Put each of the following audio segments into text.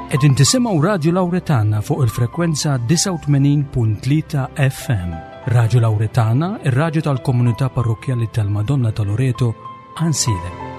Qegħdin tisimgħu Radju Lawretana fuq il-frekwenza 89.3 FM. Radju Lawretana, ir-radju tal-komunità parrokkjali tal-Madonna ta' Loreto, Ansilem.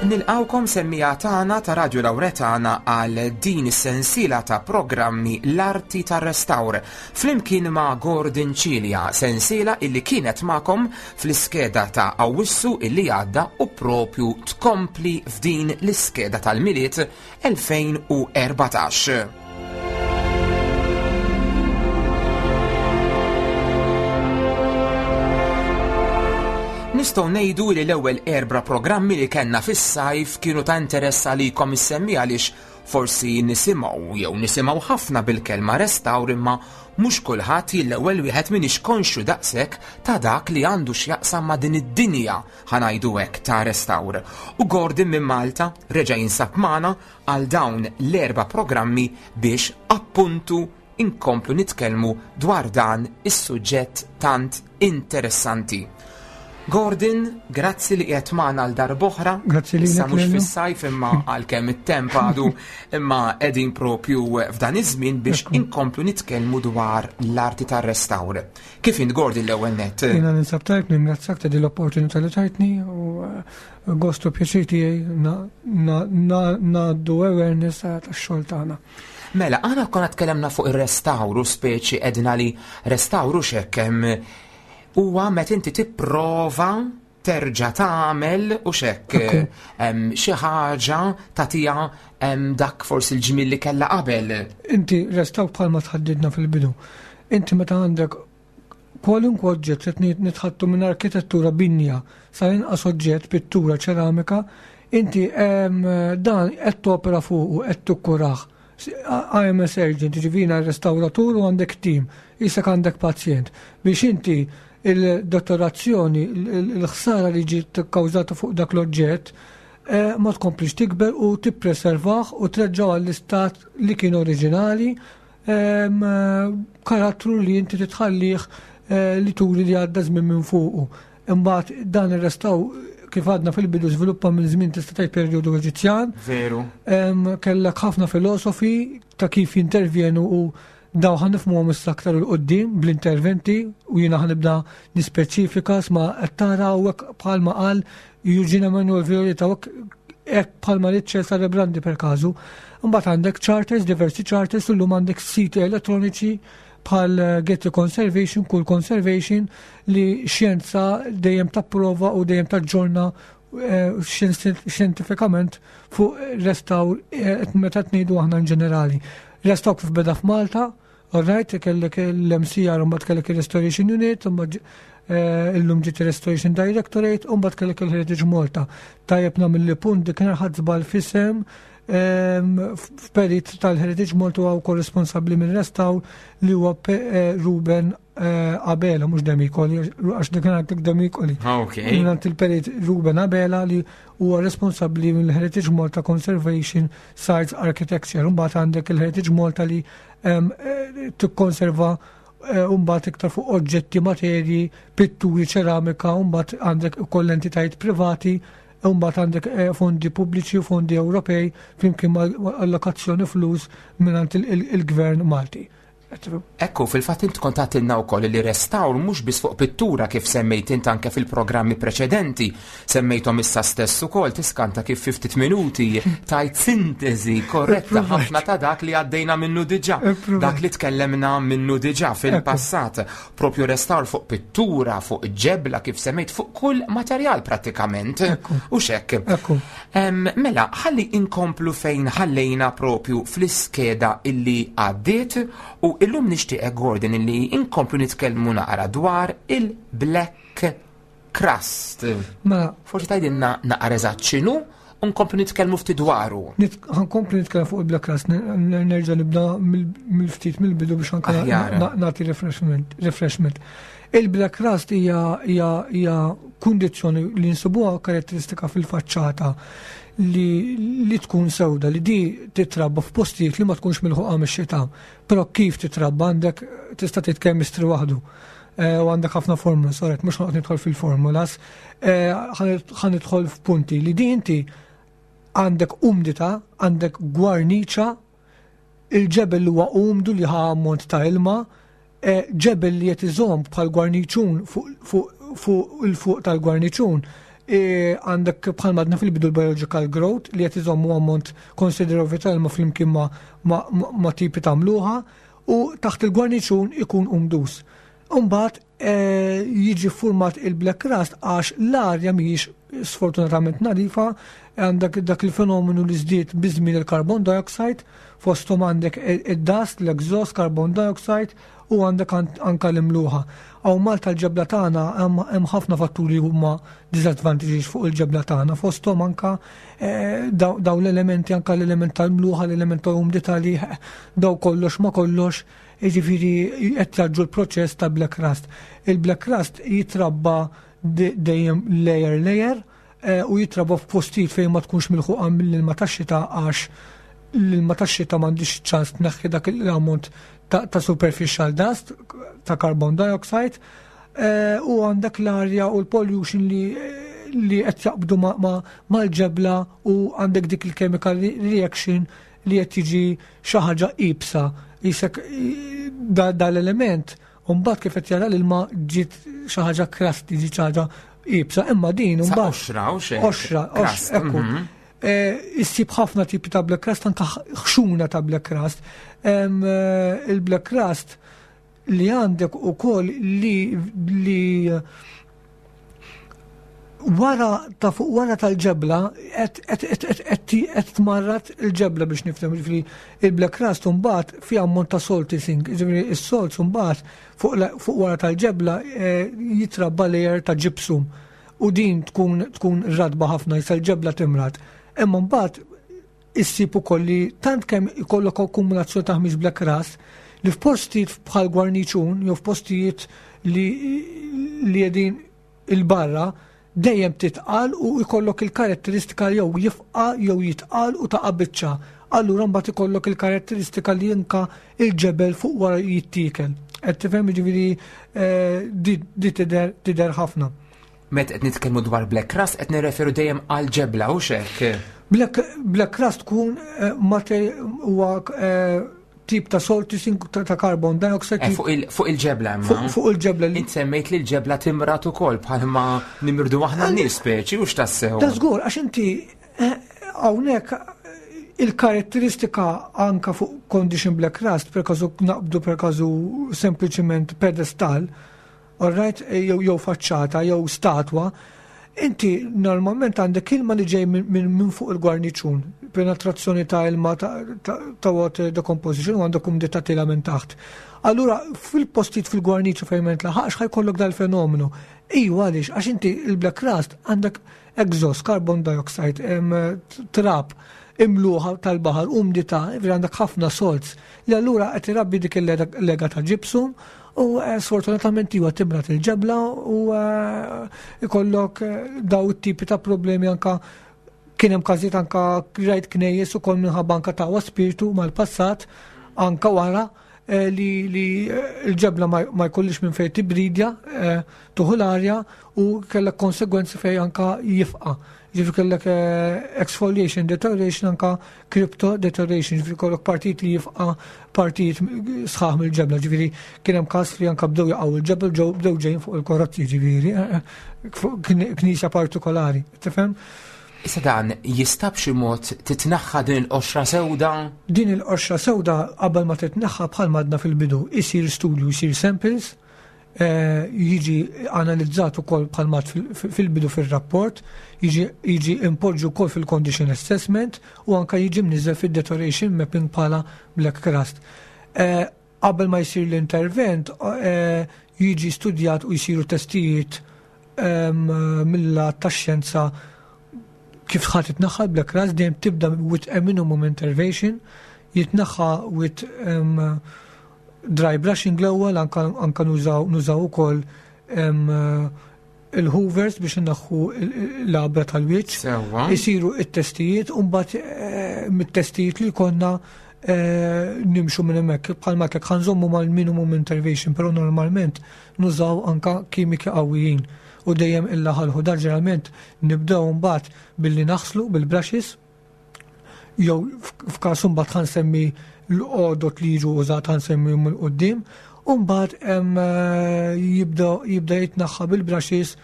Nilqawkom semmija tagħna ta' Radio Lawretana għal din is-sensiela ta' programmi L-Arti tar-Restawr flimkien ma' Gordon Cilia, sensiela illi kienet magħkom fl-iskeda ta' Awwissu illi għadda u propju tkompli f'din l-iskeda tal-Milied 2014. Nistgħu ngħidu li l-ewwel erbra programmi li kellna fis-sajf kienu ta' interess għalikom issemmi għaliex forsi nisimgħu jew nisimgħu ħafna bil-kelma restawr imma mhux kulħadd l-ewwel wieħed m'iniex konxju daqshekk ta' dak li għandu x'jaqsam ma' din id-dinja ħa ngħidu hekk ta' restawr. U Gordon minn Malta reġa' jinsab magħna għal dawn l-erba' programmi biex appuntu inkomplu nitkellmu dwar dan is-suġġett tant interessanti. Gordon, grazzi li qiegħed magħna għal darb'oħra. Grazzi lilek. Issa mhux fis-sajf imma għalkemm it-temp għadu imma qegħdin propju f'dan iż-żmien biex inkomplu nitkellmu dwar l-arti tar-restawr. Kif int Gordon l-ewwel nett? Jiena ninsab tajb, ningrazzjak ta' din l-opportunità li tajtni u eh, gostu pjaċir tiegħi ngħaddu awareness tax-xogħol tagħna. Mela, aħna konna tkellemna fuq ir-restawru speċi edna li restawru x'hekk hemm huwa meta inti tipprova terġa' tagħmel u x'hekk xi ħaġa tagħtiha dak forsi l-ġmiel li kellha qabel. Inti restawr bħalma tħaddidna fil-bidu. Inti meta għandek kwalunkwe oġġett li nitħattu minn arkitettura binja sa inqas oġġett, pittura, ċeramika, inti dan qed topera fuqu, qed tukkurah. I am a surgeon, jiġifieri jiena restawratur u għandek team, qisek għandek pazjent. Biex inti il-dottorazzjoni, il-ħsara li ġiet kkawżata fuq dak l-oġġett, eh, ma tkomplix tikber u tippreservah u treġġaw għall-istat li kien oriġinali, ehm, karattru li inti titħallih eh, li turi li għadda żmien minn fuqu. Imbagħad dan ir-restaw kif għadna fil-bidu żviluppa minn żmien tista' tgħid perjodu Eġizzjan. Veru. Kellek ħafna filosofi ta' kif jintervjenu u daw ħan nifhmuhom issa aktar il qudiem bl-interventi u jiena ħanibda nispeċifika sma qed tara hawnhekk bħalma qal Eugene Emanuel Violeta hekk bħalma li Cesare Brandi per każu. Imbagħad għandek charters, diversi charters, illum għandek siti elettroniċi bħal eh, Getty Conservation, Cool Conservation, li xjenza dejjem tapprova u dejjem taġġorna eh, xjentifikament fuq restawr eh, meta tnejdu aħna in ġenerali. Restawr kif beda f'Malta, alright, kellek l-MCR, mbagħad kellek il-Restoration Unit, mbagħad illum ġiet Restoration Directorate, u mbagħad kellek il-Heritage Malta. Tajjeb nagħmel li punt dik ħadd żball fisem f'perit tal-Heritage Malta huwa wkoll responsabbli minn restawr li huwa eh, Ruben eh, Abela, mhux Demikoli, għax dik għandek Demikoli. Ah, ok. Mingħand il-perit Ruben Abela li huwa responsabbli mill-Heritage Malta Conservation Sites Architecture. Mbagħad għandek il-Heritage Malta li eh, tikkonserva mbagħad iktar fuq oġġetti, materji, pitturi, ċeramika, mbagħad għandek ukoll entitajiet privati U mbagħad għandek eh, fondi pubbliċi u fondi Ewropej flimkien ma' allokazzjoni flus mingħand il-gvern Malti. Ekku, fil-fatt int kont għatilna wkoll li restawr mhux biss fuq pittura kif semmejt int anke fil-programmi preċedenti, semmejthom issa stess ukoll tiskanta kif fi ftit minuti tajt sintesi korretta ħafna ta' dak li għaddejna minnu diġà, dak li tkellemna minnu diġà fil-passat. Propju restawr fuq pittura, fuq ġebla kif semmejt fuq kull materjal prattikament. U xekk. Mela, ħalli inkomplu fejn ħallejna propju fl-iskeda illi għaddiet u illum nixtieqek Gordon illi inkomplu nitkellmu naqra dwar il-Black Crust. Mela, Forsi tgħidilna naqra eżatt x'inhu u nkomplu nitkellmu ftit dwaru. Ħankomplu nitkellem fuq il-Black Crust, nerġa' nibda mill-ftit mill-bidu biex anke nagħti refreshment. refreshment. Il-Black Crust hija hija kundizzjoni li nsibuha karatteristika fil-faċċata li, li tkun sewda, li di titrabba f'postijiet li ma tkunx milħuqa mix-xita. Però kif titrabba għandek tista' tgħid chemistry waħdu. Eh, u għandek ħafna formula, soret, mhux noqgħod nidħol fil-formulas, eh, ħa nidħol f'punti li di inti għandek umdita, għandek gwarniċa, il-ġebel li huwa umdu li ħa ammont ta' ilma, eh, ġebel li qed iżomm bħal gwarniċun fuq il-fuq tal-gwarniċun għandek bħal madna fil-bidu l-biological growth li qed iżommu ammont konsiderevoli ta' ilma flimkien ma' tipi ta' mluħa u taħt il-gwarniċun ikun umdus. Umbagħad eh, jiġi format il-black rust għax l-arja mhijiex sfortunatament nadifa, għandek dak il-fenomenu li żdied biżmien il-carbon dioxide, fosthom għandek id-dust, l-exhaust, carbon dioxide u għandek anka l-imluħa. Hawn Malta l-ġebla tagħna hemm ħafna fatturi huma disadvantages fuq il-ġebla tagħna, fosthom anka eh, daw l-elementi anka l-element tal-mluħa, l-element tal-umdità li daw kollox ma kollox, jiġifieri qed jaġġu l-proċess ta' black rust. Il-black rust jitrabba dejjem layer layer eh, u jitrabba f'postijiet fejn ma tkunx milħuqa mill-ilma tax-xita għax l-ilma tax-xita m'għandix ċans tneħħi dak l-ammont ta' superficial dust ta' carbon dioxide eh, u għandek l-arja u l-pollution li li qed jaqbdu mal-ġebla u għandek dik il-chemical reaction li qed jiġi xi ħaġa ibsa. Isek dal-element u mbagħad kif qed jara l-ilma ġiet xi ħaġa crusty, ġiet xi ħaġa ibsa, imma din mbagħad. Oxra, oxra, oxra, ekku. Mhm. Eh, issib ħafna tipi ta' black crust, anka ħxuna ta' black crust. Eh, il-black crust li għandek u koll li li wara ta' fuq wara tal-ġebla qed tmarrat il-ġebla biex nifhem ġifieri il-black rust mbagħad fi ammont ta' salty sink, ġifieri is-salt mbagħad fuq wara tal-ġebla eh, jitrabba layer ta' gypsum u din tkun tkun radba ħafna jisa l-ġebla timrad. Imma mbagħad issib ukoll li tant kemm ikollok akkumulazzjoni ta' ħmiġ black rust li f'postijiet bħal gwarniċun jew f'postijiet li li qegħdin il-barra dejjem titqal u jkollok il-karatteristika jew jifqa jew jitqal u taqa' biċċa. Allura mbagħad ikollok il-karatteristika li jinka il-ġebel fuq wara jittiekel. Qed tifhem jiġifieri eh, di tidher tidher ħafna. Met qed nitkellmu dwar black crust qed nirreferu dejjem għal ġebla u xek. Black, black crust tkun eh, huwa eh, tip ta' salty sink ta' carbon dioxide. Eh, fuq il-ġebla imma. Fuq il-ġebla. Int semmejt li l-ġebla timrat ukoll bħalma nimirdu aħna nies speċi u x'tassew. Ta' żgur għax inti eh, hawnhekk il-karatteristika anka fuq condition black rust, per każu naqbdu per każu sempliċiment pedestal, Alright, jew jew faċċata jew statwa, inti normalment għandek ilma li ġej minn fuq il-gwarniċun, penetrazzjoni ta' ilma ta' water decomposition u għandek umdità tila minn taħt. Allura fil-postijiet fil-gwarniċu fejn ma jintlaħaqx ħajkollok dal-fenomenu. Iju għaliex, għax inti il-black rust għandek exhaust, carbon dioxide, trab, imluħa tal-baħar, umdità, għandek ħafna salts li allura qed irabbi dik il-lega ta' gypsum U eh, sfortunatament iwa timrat il-ġebla u eh, ikollok eh, daw it-tipi ta' problemi anka kien hemm każijiet anka rajt knejjes ukoll minħabba anka ta' spiritu mal-passat anka wara. li l-ġebla ma jkollix minn fejn tibridja, tuħu l-arja u kellek konsegwenzi fejn anka jifqa'. Ġifieri kellek exfoliation deterioration anka crypto deterioration, ġifieri kollok partijiet li jifqa' partijiet sħaħ mill-ġebla, ġifieri kien hemm każ li anka bdew jaqgħu il-ġebel ġew bdew ġejjin fuq il-karozzi, ġifieri fuq knisja partikolari, tifhem? Issa dan jista' b'xi mod titneħħa din il-qoxra sewda? Din il-qoxra sewda qabel ma titneħħa bħal madna fil-bidu, isir studju, isir samples, jiġi analizzat ukoll bħal mat fil-bidu fil-rapport, jiġi impoġġu wkoll fil-condition assessment u anka jiġi mniżel fil-deterioration mapping bħala black crust. Qabel ma jsir l-intervent, jiġi studjat u jsiru testijiet mill-lat tax-xjenza kif ħa titneħħa l-black rust, dejjem tibda with a minimum intervention, jitneħħa with dry brushing l-ewwel, anka nużaw ukoll il-hoovers biex inneħħu l-għabra tal-wiċċ. Isiru it-testijiet u mbagħad mit-testijiet li konna nimxu minn hemmhekk. Bħalma hekk ħa nżommu mal-minimum intervention, però normalment nużaw anka kimiki qawwijin u dejjem illa ħalħu. Dan ġeneralment nibdew mbagħad billi naħslu bil-brushes, jew f'każ mbagħad ħa nsemmi l-għodot li jiġu użat, ħa nsemmi 'l quddiem, u mbagħad jibda jitneħħa bil-brushes,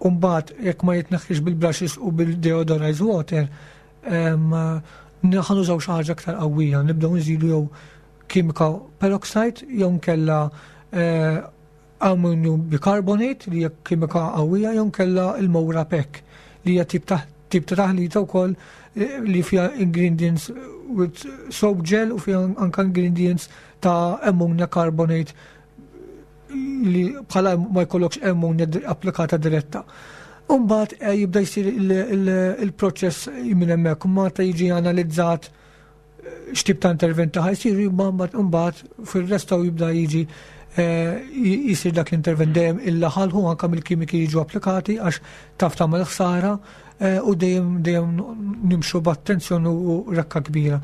u mbagħad jekk ma jitneħħix bil-brushes u bil-deodorized water, ħa nużaw xi ħaġa aktar qawwija, nibdew nżidu jew kimika peroxide jew nkella ammonium bicarbonate li hija kimika qawwija jew nkella il-Mora Pek li hija tip ta' taħlita wkoll li fiha ingredients with soap gel u fiha anka ingredients ta' ammonia carbonate li bħala ma jkollokx ammonia applikata diretta. Umbagħad jibda jsir il-proċess minn hemmhekk, ma ta' jiġi analizzat x'tip ta' intervent ta' ħajsir, mbagħad fil-restawr jibda jiġi jisir dak l-intervent dejjem illa ħalħu anka mill-kimiki jiġu applikati għax taf tagħmel ħsara u dejjem dejjem nimxu b'attenzjoni u reqqa kbira.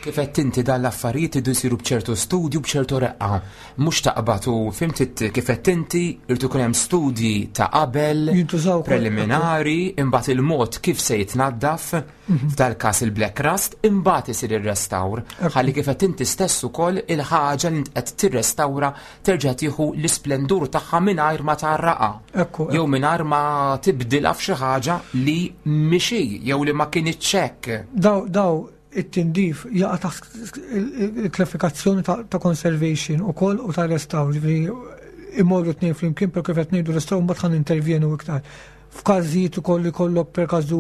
Kif qed inti dan l-affarijiet idu jsiru b'ċertu studju, b'ċertu reqqa. Mhux taqbad u fhimt kif qed inti irid ikun hemm studji ta' qabel, Jintużaw ukoll. Preliminari, imbagħad il-mod kif se jitnaddaf, f'dal-każ il-black rust, imbagħad isir ir-restawr. Ħalli kif qed inti stess ukoll il-ħaġa li int qed tirrestawra terġa' tieħu l-isplendur tagħha mingħajr ma tgħarraqha. Jew mingħajr ma tibdilha f'xi ħaġa li mhix hi jew li ma kinitx hekk. Daw it-tindif jaqa' taħt il-klassifikazzjoni ta' conservation ukoll u ta' restawr, ġifieri imorru tnejn flimkien, per kif qed ngħidu restawr mbagħad ħa nintervjenu iktar. F'każijiet ukoll li kollok per każu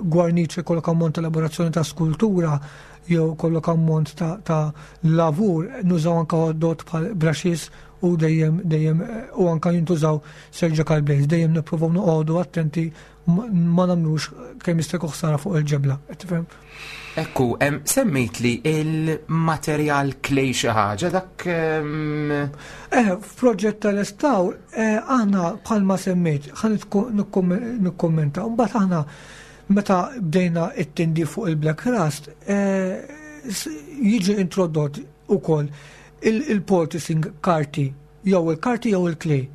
gwarniċ jkollok ammont ta' elaborazzjoni ta' skultura jew kollok ammont ta' lavur, nużaw anka għodot bħal brushes u dejjem dejjem u anka jintużaw surgical blades, dejjem nippruvaw noqogħdu attenti ma nagħmlux kemm jista' jkun ħsara fuq il-ġebla, qed tifhem? Ekku, semmejt li il-materjal clay xi ħaġa dak. F'proġett tal-restawr, aħna bħalma semmejt, ħa nikkommenta, mbagħad aħna meta bdejna it-tindif fuq il-black rust, jiġi introdott ukoll il-poulticing karti, jew il-karti jew il-clay.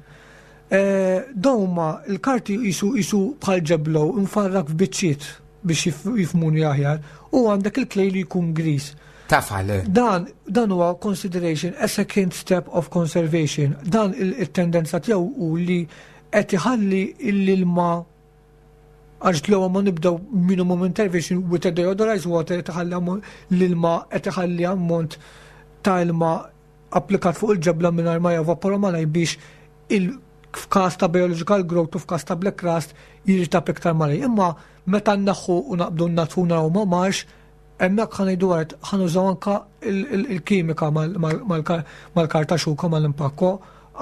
Dawn huma il-karti jisu bħal ġeblo mfarrak f'biċċiet biex jifhmuni aħjar, u għandek il-clay li jkun gris. Tafal. Dan huwa consideration a second step of conservation. Dan il-tendenza tiegħu u li qed iħalli l-ilma, għax l ma nibdew minimum intervention with a deodorized water, qed iħalli l-ilma, qed iħalli ammont ta' ilma applikat fuq il-ġebla mingħajr ma jevapora malaj biex il f'każ ta' biological growth u f'każ ta' black rust jirtab iktar malaj. Imma meta nneħħu u naqbdu natfuna u ma marx, hemmhekk ħa ngħidu għart ħa nużaw anka il-kimika mal-karta xuka mal-impakko,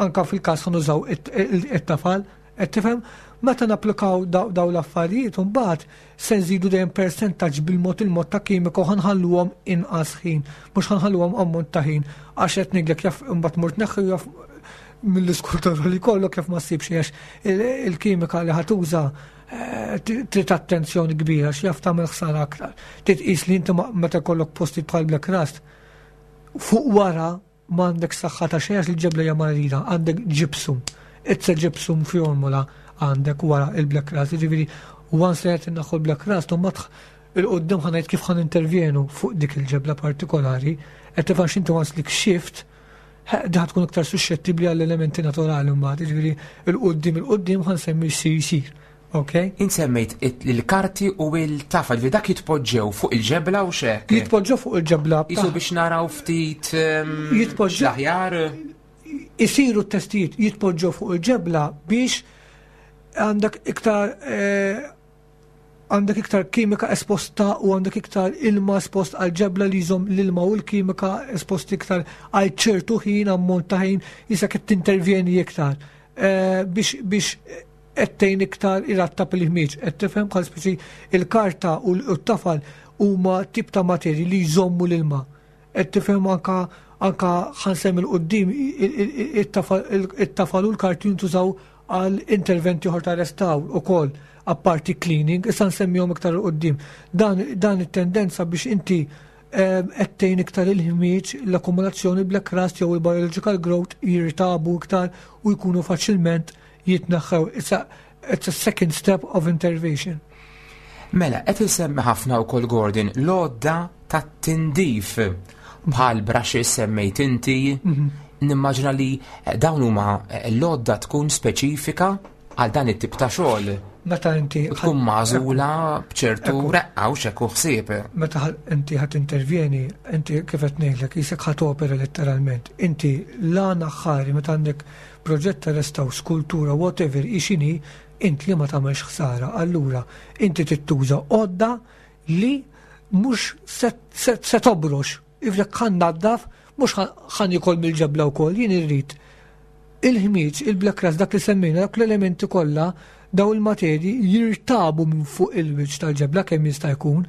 anka fil-każ ħa nużaw it-tafal, qed tifhem? Meta napplikaw daw l-affarijiet, mbagħad se nżidu dejjem percentaġġ bil-mod il-mod ta' kimika u ħa nħalluhom inqas ħin, mhux ħa nħalluhom ammont ta' ħin, għax qed ngħidlek jaf imbagħad mur tneħħi jaf mill-iskultura li kollok jaf ma ssibx għax il-kimika li ħa tuża trid attenzjoni kbira x'jaf tagħmel ħsara aktar. Titqis li inti meta jkollok posti bħal black rust. Fuq wara m'għandek saħħa ta' xejn għax il-ġebla hija marida, għandek gypsum. It's a gypsum formula għandek wara il-black rust, jiġifieri once li qed inneħħu l-black rust, imbagħad il-qudiem ħa ngħid kif ħa nintervjenu fuq dik il-ġebla partikolari, qed tifhem x'inti once li kxift, diħa tkun iktar suscettibbli għall-elementi naturali mbagħad, jiġifieri il-qudiem il-qudiem ħa nsemmi x'sir jsir. Ok? Int semmejt il-karti u il-tafal, li dak jitpoġġew fuq il-ġebla u xek? Jitpoġġew fuq il-ġebla. Jisu biex naraw ftit Jitpoġġew l-aħjar. Isiru t-testijiet jitpoġġew fuq il-ġebla biex għandek iktar għandek iktar kimika esposta u għandek iktar ilma espost għal ġebla li jżomm l-ilma u l-kimika espost iktar għal ċertu ħin, ammont ta' ħin, jisa qed tintervjeni iktar. Biex qed tgħin iktar irattab il-ħmieġ. Qed tifhem bħal speċi il-karta u t-tafal huma tip ta' materji li jżommu l-ilma. Qed tifhem anka anka ħa nsemmi 'l quddiem it-tafal u l-karti jintużaw għal interventi oħra ta' restawr ukoll apparti cleaning, issa nsemmihom iktar 'il quddiem. Dan it-tendenza biex inti qed tgħin iktar il-ħmieġ, l-akkumulazzjoni black rust jew il-biological growth jirtabu iktar u jkunu faċilment jitneħħew. It's a second step of intervention. Mela, qed insemmi ħafna wkoll Gordon l-għodda tat-tindif bħal brushes semmejt inti. Nimmaġina li dawn huma l-għodda tkun speċifika għal dan it-tip ta' xogħol. Meta inti U tkun magħżula b'ċertu reqqa u xekk u ħsieb. Meta inti ħa tintervjeni, inti kif qed ngħidlek, jisek ħa topera letteralment. Inti l-għan aħħari meta għandek proġett ta' restawr, skultura, whatever, ixini, int li ma tagħmelx ħsara. Allura, inti tittuża għodda li mhux se tobrox. Iflek ħa nnaddaf, mhux ħa niekol mill-ġebla wkoll, jien irrid il-ħmieġ, il-black rust, dak li semmejna, dak l-elementi kollha, daw il-materji jirtabu minn fuq il-wiċċ tal-ġebla kemm jista' jkun.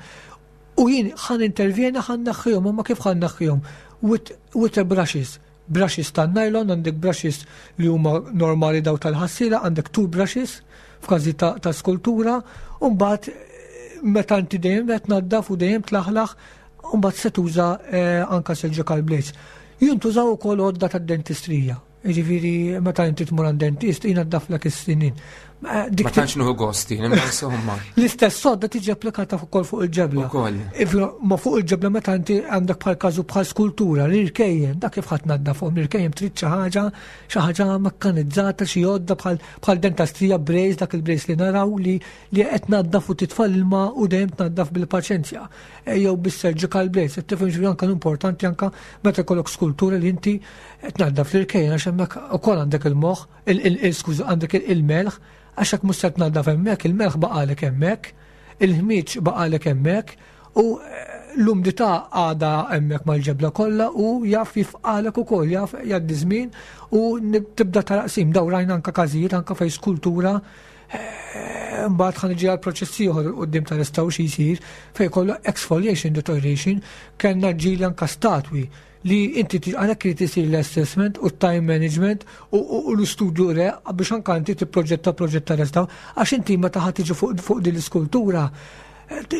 U jien ħa nintervjena ħa nneħħihom, imma kif ħa nneħħihom? With a brushes. Brushes tan-nylon, għandek brushes li huma normali daw tal-ħassila, għandek two brushes f'każi ta' skultura, u mbagħad meta inti dejjem qed tnaddaf u dejjem tlaħlaħ, u mbagħad se tuża anka surgical blades. Jintużaw ukoll għodda tad-dentistrija. Jiġifieri meta inti tmur għand dentist jnaddaflek is-sinin. Dik Ma tantx nieħu gosti, imma insomma. L-istess sodda tiġi applikata ukoll fuq il-ġebla. Ukoll. Ma fuq il-ġebla meta inti għandek bħal każu bħal skultura, l-irkejjen, dak kif ħadd naddafhom, l-irkejjen trid xi ħaġa, xi ħaġa mekkanizzata, xi għodda bħal dentastrija brace, dak il-brace li naraw li qed naddaf u titfa' l-ilma u dejjem tnaddaf bil-paċenzja. Jew bis-surgical blades, qed tifhem xi anke importanti anke meta jkollok skultura li inti qed tnaddaf l-irkejjen għax hemmhekk ukoll għandek il-moħħ, skuża, għandek il-melħ, għax hekk mhux se tnaddaf hemmhekk, il-melħ baqalek hemmhekk, il-ħmieġ baqalek hemmhekk u l-umdità għadha hemmhekk mal-ġebla kollha u jaf jifqalek ukoll, jaf jgħaddi żmien u tibda taraqsim. Daw rajna anke każijiet anke fejn skultura mbagħad ħa niġi għal proċess ieħor 'il quddiem ta' restawr xi jsir fejn kollu exfoliation deterioration, kellna ġieli anke statwi li inti għalhekk irid isir l-assessment u time management u l-istudju re biex anke inti tipproġetta proġett ta' restawr, għax inti meta ħa tiġi fuq din l-iskultura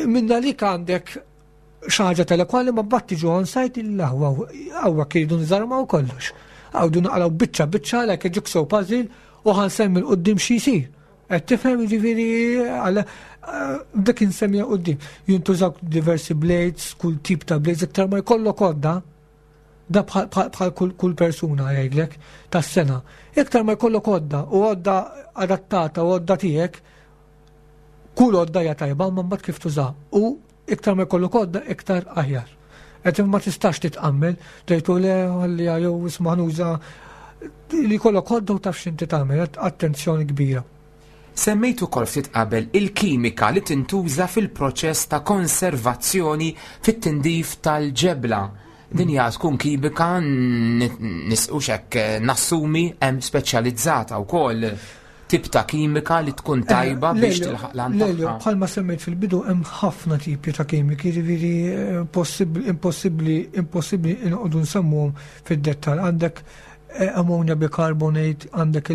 minna lik għandek xi ħaġa telekwali ma mbagħad tiġu on site il-aħwa hawn iridu nżarmaw kollox. Għawdu naqraw biċċa biċċa like a jigsaw puzzle u ħa nsemmi 'l quddiem xi jsir. Qed tifhem jiġifieri għal dak insemmija quddiem. Jintużaw diversi blades, kull tip ta' blades, iktar ma jkollok għodda, da bħal kull persuna jgħidlek tas-sena. Iktar ma jkollok għodda u għodda adattata u għodda tiegħek, kull għodda hija tajba, ma mbagħad kif tuża. U iktar ma jkollok għodda, iktar aħjar. Qed ma tistax titqammel, tgħidu le ħalli jew isma' nuża li jkollok għodda u taf x'inti tagħmel, attenzjoni kbira. Semmejt ukoll ftit qabel il-kimika li tintuża fil-proċess ta' konservazzjoni fit-tindif tal-ġebla. Din hija tkun kimika nisqux hekk nassumi hemm speċjalizzata wkoll tip ta' kimika li tkun tajba biex tilħaq l tagħha. Bħalma semmejt fil-bidu hemm ħafna tipi ta' kimiki, jiġifieri impossibbli impossibbli inqogħdu nsemmuhom fid-dettall. Għandek ammonia bicarbonate, għandek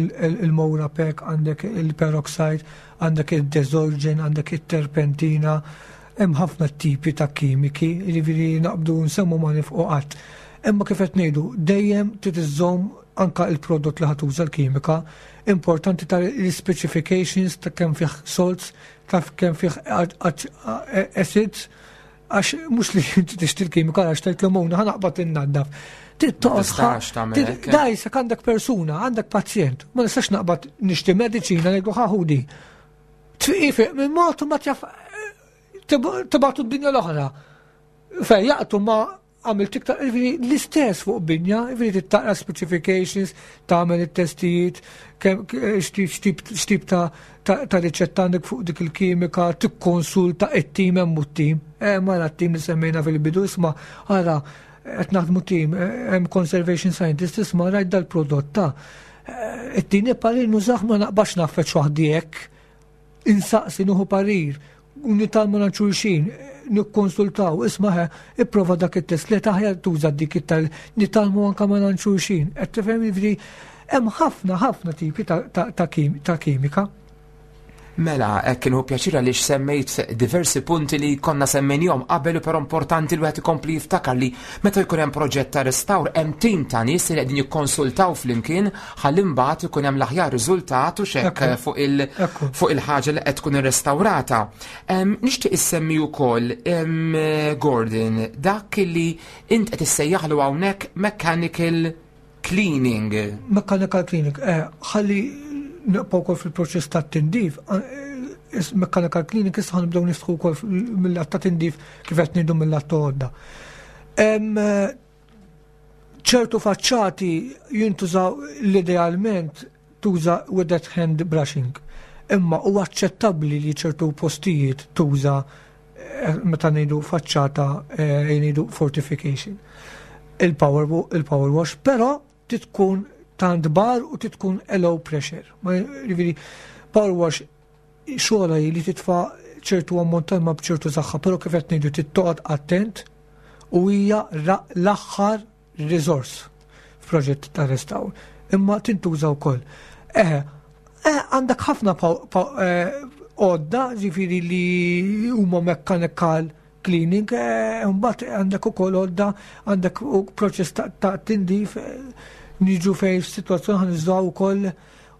il-Moura-Pek, għandek il-peroxide, għandek il-desorgen, għandek il-terpentina, hemm ħafna tipi ta' kimiki, jiġifieri naqbdu nsemmu ma nifqu qatt. Imma kif qed ngħidu, dejjem trid iżżomm anka il-prodott li ħa tuża l-kimika, importanti ta' l-specifications ta' kemm fih salts, ta' kemm fih acids, għax mhux li inti tixtri l-kimika għax tgħid l-omuna ħa naqbad innaddaf. Dajsek għandek persuna, għandek pazjent, ma nistax naqbad nixtri mediċina ngħidu ħaħudi. Tfiq minn mod ma tjaf tibgħatu d-dinja l-oħra. Fej jaqtu ma għamilt iktar, jiġifieri l-istess fuq binja, jiġifieri taqra specifications, tagħmel it-testijiet, x'tip ta' riċetta għandek fuq dik il-kimika, tikkonsulta it-tim hemm u t-tim. Eh, mara t-tim li semmejna fil-bidu isma' ara qed naħdmu tim, eh, hemm conservation scientist isma' rajt dal-prodott ta' eh, it-tieni parir nużah ma naqbax naffeċ waħdi hekk insaqsi nieħu parir, nitgħallmu minn xulxin, nikkonsultaw, isma' ipprova dak it-test li taħjar tuża dik it-tal, nitgħallmu anke ma' xulxin. Qed tifhem jiġri hemm ħafna ħafna tipi ta' kimika. Mela, hekk kienu pjaċir għaliex semmejt diversi punti li konna semmejnihom qabel però importanti li wieħed ikompli jiftakar li meta jkun hemm proġett ta' restawr hemm tim ta' nies li qegħdin jikkonsultaw flimkien ħalli mbagħad ikun hemm l-aħjar riżultat u xekk fuq il fuq il-ħaġa li qed tkun irrestawrata. Nixtieq issemmi wkoll Gordon dak li int qed issejjaħlu hawnhekk mechanical cleaning. Mechanical cleaning, eh, ħalli nibqgħu wkoll fil-proċess tat-tindif, eh, mechanical cleaning issa ħanibdew nistħu wkoll mill-att ta' tindif kif qed ngħidu mill-att ta' għodda. ċertu faċċati jintużaw l-idealment tuża with hand brushing. Imma huwa aċċettabbli li ċertu postijiet tuża eh, meta ngħidu faċċata eh, ngħidu fortification. Il-power il-power wash, però titkun tant bar u titkun low pressure. Ma jiġifieri power wash xogħla li titfa' ċertu ammont ta' ilma b'ċertu saħħa, però kif qed ngħidu trid toqgħod attent u hija l-aħħar riżors f'proġett ta' restawr. Imma tintuża wkoll. Eħe, eh, għandek ħafna eh, għodda, ġifieri li huma mechanical cleaning, eh, mbagħad għandek ukoll għodda, għandek proċess ta' tindif, niġu fejn situazzjoni ħan ukoll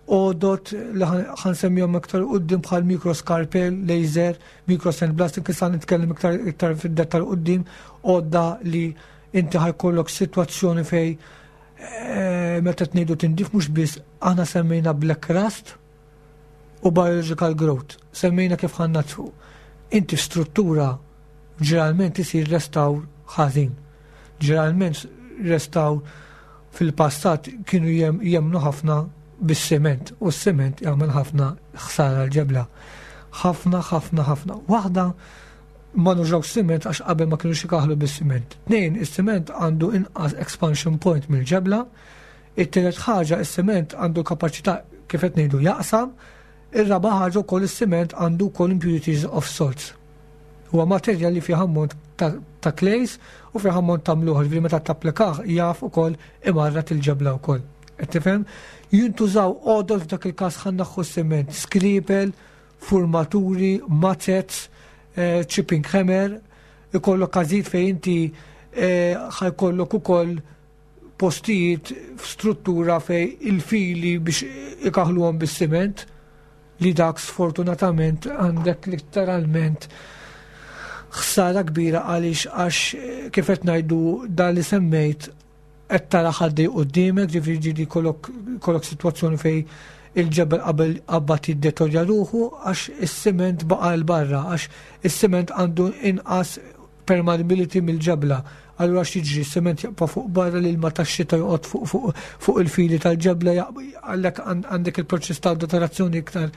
għodod li ħansemmihom iktar quddiem bħal microscalpel, laser, micro sandblasting, issa nitkellem iktar iktar fid-dettal quddiem, għodda li inti ħajkollok sitwazzjoni fej eh, meta tnejdu tindif mhux biss aħna semmejna black rust u biological growth, semmejna kif ħa nnaddfu. Inti struttura ġeneralment isir restawr ħażin. Ġeneralment restawr fil-passat kienu jemnu ħafna bis-siment u s-siment jagħmel ħafna ħsara l-ġebla. Ħafna, ħafna, ħafna. Waħda ma nużawx siment għax qabel ma kienux ikaħlu bis-siment. Tnejn, is-siment għandu inqas expansion point mill-ġebla. It-tielet ħaġa, is-siment għandu kapaċità kif qed ngħidu jaqsam. Ir-raba' ħaġa wkoll is-siment għandu wkoll impurities of salts. Huwa materjal li fih ammont ta', ta clays u fih ammont ta' mluħ, ġifieri meta tapplikah jaf ukoll imarrat il-ġebla wkoll. Qed tifhem? Jintużaw għodod f'dak il-każ ħa nneħħu s-siment, skripel, formaturi, mazzets, eh, chipping hammer, ikollok każijiet fejn inti eh, ħajkollok ukoll postijiet f'struttura fej il-fili biex ikaħluhom bis-siment li dak sfortunatament għandek literalment ħsara kbira għaliex għax eh, kif qed ngħidu dan li semmejt qed tara ħaddej quddiemek, ġifieri ġieli kollok kollok sitwazzjoni fej il-ġebel qabel qabad jiddetorja ruħu għax is-siment baqa' 'l barra għax is-siment għandu inqas permeability mill-ġebla. Allura x'jiġri s-siment jaqpa' fuq barra l-ilma tax-xita joqgħod fuq fuq fuq il-fili tal-ġebla għalhekk għandek il-proċess ta' deteriorazzjoni iktar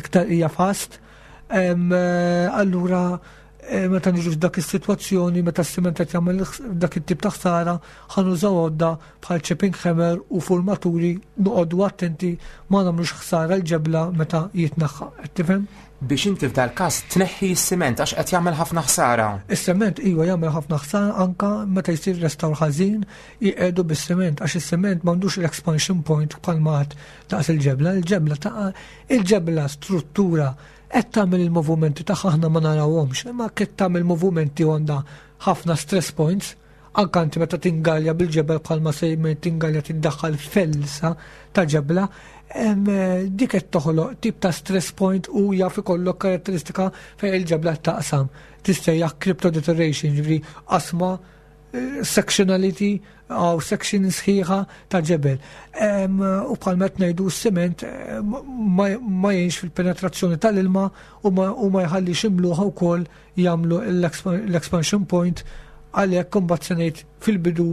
iktar hija fast. Allura eh, meta niġu f'dak is-sitwazzjoni meta s-siment qed jagħmel dak it-tip ta' ħsara ħa nużaw għodda bħal chipping hammer u formaturi noqogħdu attenti ma nagħmlux ħsara l-ġebla meta jitneħħa. Qed tifhem? Biex inti f'dal-każ tneħħi s-siment għax qed jagħmel ħafna ħsara. Is-sement iva jagħmel ħafna ħsara anka meta jsir restawr ħażin jqiegħdu bis-siment għax is-siment m'għandux l-expansion point bħal ma daqs il-ġebla, il-ġebla ta' il-ġebla struttura qed tagħmel il-movimenti tagħha aħna ma narawhomx, imma qed tagħmel movimenti għandha ħafna stress points. Anke inti meta tingalja bil-ġebel bħalma sejmen tingalja tiddaħħal felsa ta' ġebla, dik qed toħloq tip ta' stress point u jaf ikollok karatteristika fejn il-ġebla taqsam. Tissejjaħ crypto deterioration, ġifieri qasma eh, sectionality għaw section sħiħa ta' ġebel. U bħal met ngħidu s-siment eh, ma jgħinx fil-penetrazzjoni tal-ilma u ma jħallix imluħa wkoll jagħmlu l-expansion point għalhekk imbagħad se ngħid fil-bidu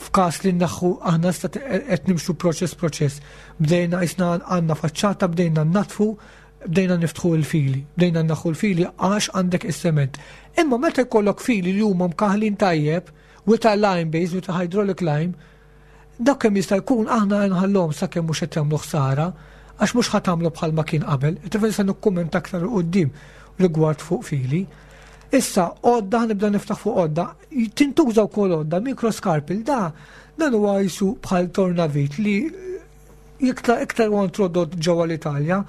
f'każ li naħħu aħna sta qed nimxu proċess proċess. Bdejna isna għandna faċċata, bdejna natfu, bdejna niftħu l-fili, bdejna naħħu l-fili għax għandek is-sement. Imma meta jkollok fili li huma mkaħlin tajjeb, with a lime base, with a hydraulic lime, dak kemm jista' jkun aħna nħallhom sakemm mhux qed jagħmlu ħsara, għax mhux ħa tagħmlu bħalma kien qabel. Tifel se nikkumment aktar quddiem rigward fuq fili. Issa, għodda nibda niftaħ fuq għodda, tintuża wkoll għodda, mikroskarpil, da dan huwa jisu bħal tornavit li iktar iktar huwa introdott ġewwa l-Italja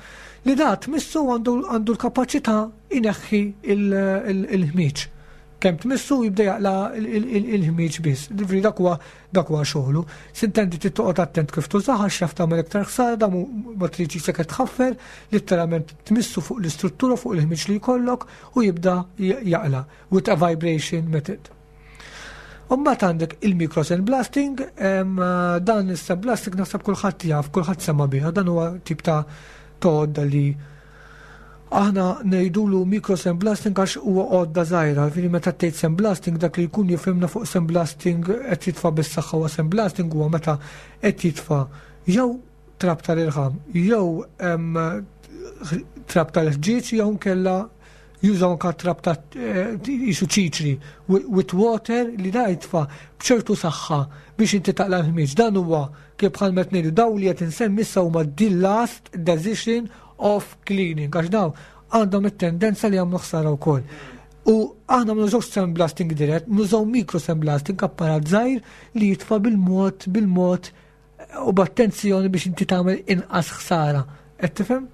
li da tmissu għandu l-kapaċità ineħħi il-ħmiġ. Kemm tmissu jibda jaqla il-ħmiġ biss. Ġifieri dak huwa dak huwa xogħlu. Sintendi trid toqgħod attent kif tużaha għax jaf tagħmel iktar ħsara da ma tridx jisek qed tħaffer, litteralment tmissu fuq l-istruttura fuq il-ħmiġ li jkollok u jibda jaqla with a vibration method. Umbat għandek il-micro sandblasting, dan is-sandblasting naħseb kulħadd jaf, kulħadd sema biha, dan huwa tip ta' għodda li aħna ngħidulu micro sandblasting għax huwa għodda żgħira, ġifieri meta tgħid sandblasting dak li jkun jifhimna fuq sandblasting qed jitfa' bis-saħħa huwa sandblasting huwa meta qed jitfa' jew trab tal-irħam jew trab tal-ħġieġ jew nkella jużaw anka trab ta' jisu ċiċri with water li da jitfa' b'ċertu saħħa biex inti taqla' l-ħmieġ. Dan huwa kif bħal meta ngħidu daw li qed insemmi issa huma the last decision of cleaning għax daw għandhom it-tendenza li jagħmlu ħsara wkoll. U aħna ma nużawx sandblasting dirett, nużaw micro sandblasting apparat żgħir li jitfa' bil-mod bil-mod u b'attenzjoni biex inti tagħmel inqas ħsara. Qed tifhem?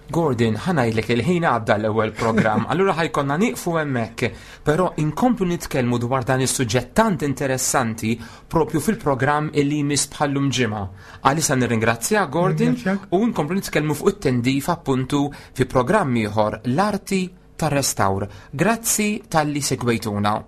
Gordon, ħa ngħidlek il-ħin għadda l-ewwel programm, allura ħa jkollna nieqfu hemmhekk, però inkomplu nitkellmu dwar dan is-suġġett tant interessanti propju fil-programm illi jmiss bħallum ġimgħa. Għalissa nirringrazzja Gordon u nkomplu nitkellmu fuq it-tendif appuntu fi programm ieħor l-arti tar-restawr. Grazzi talli segwejtuna.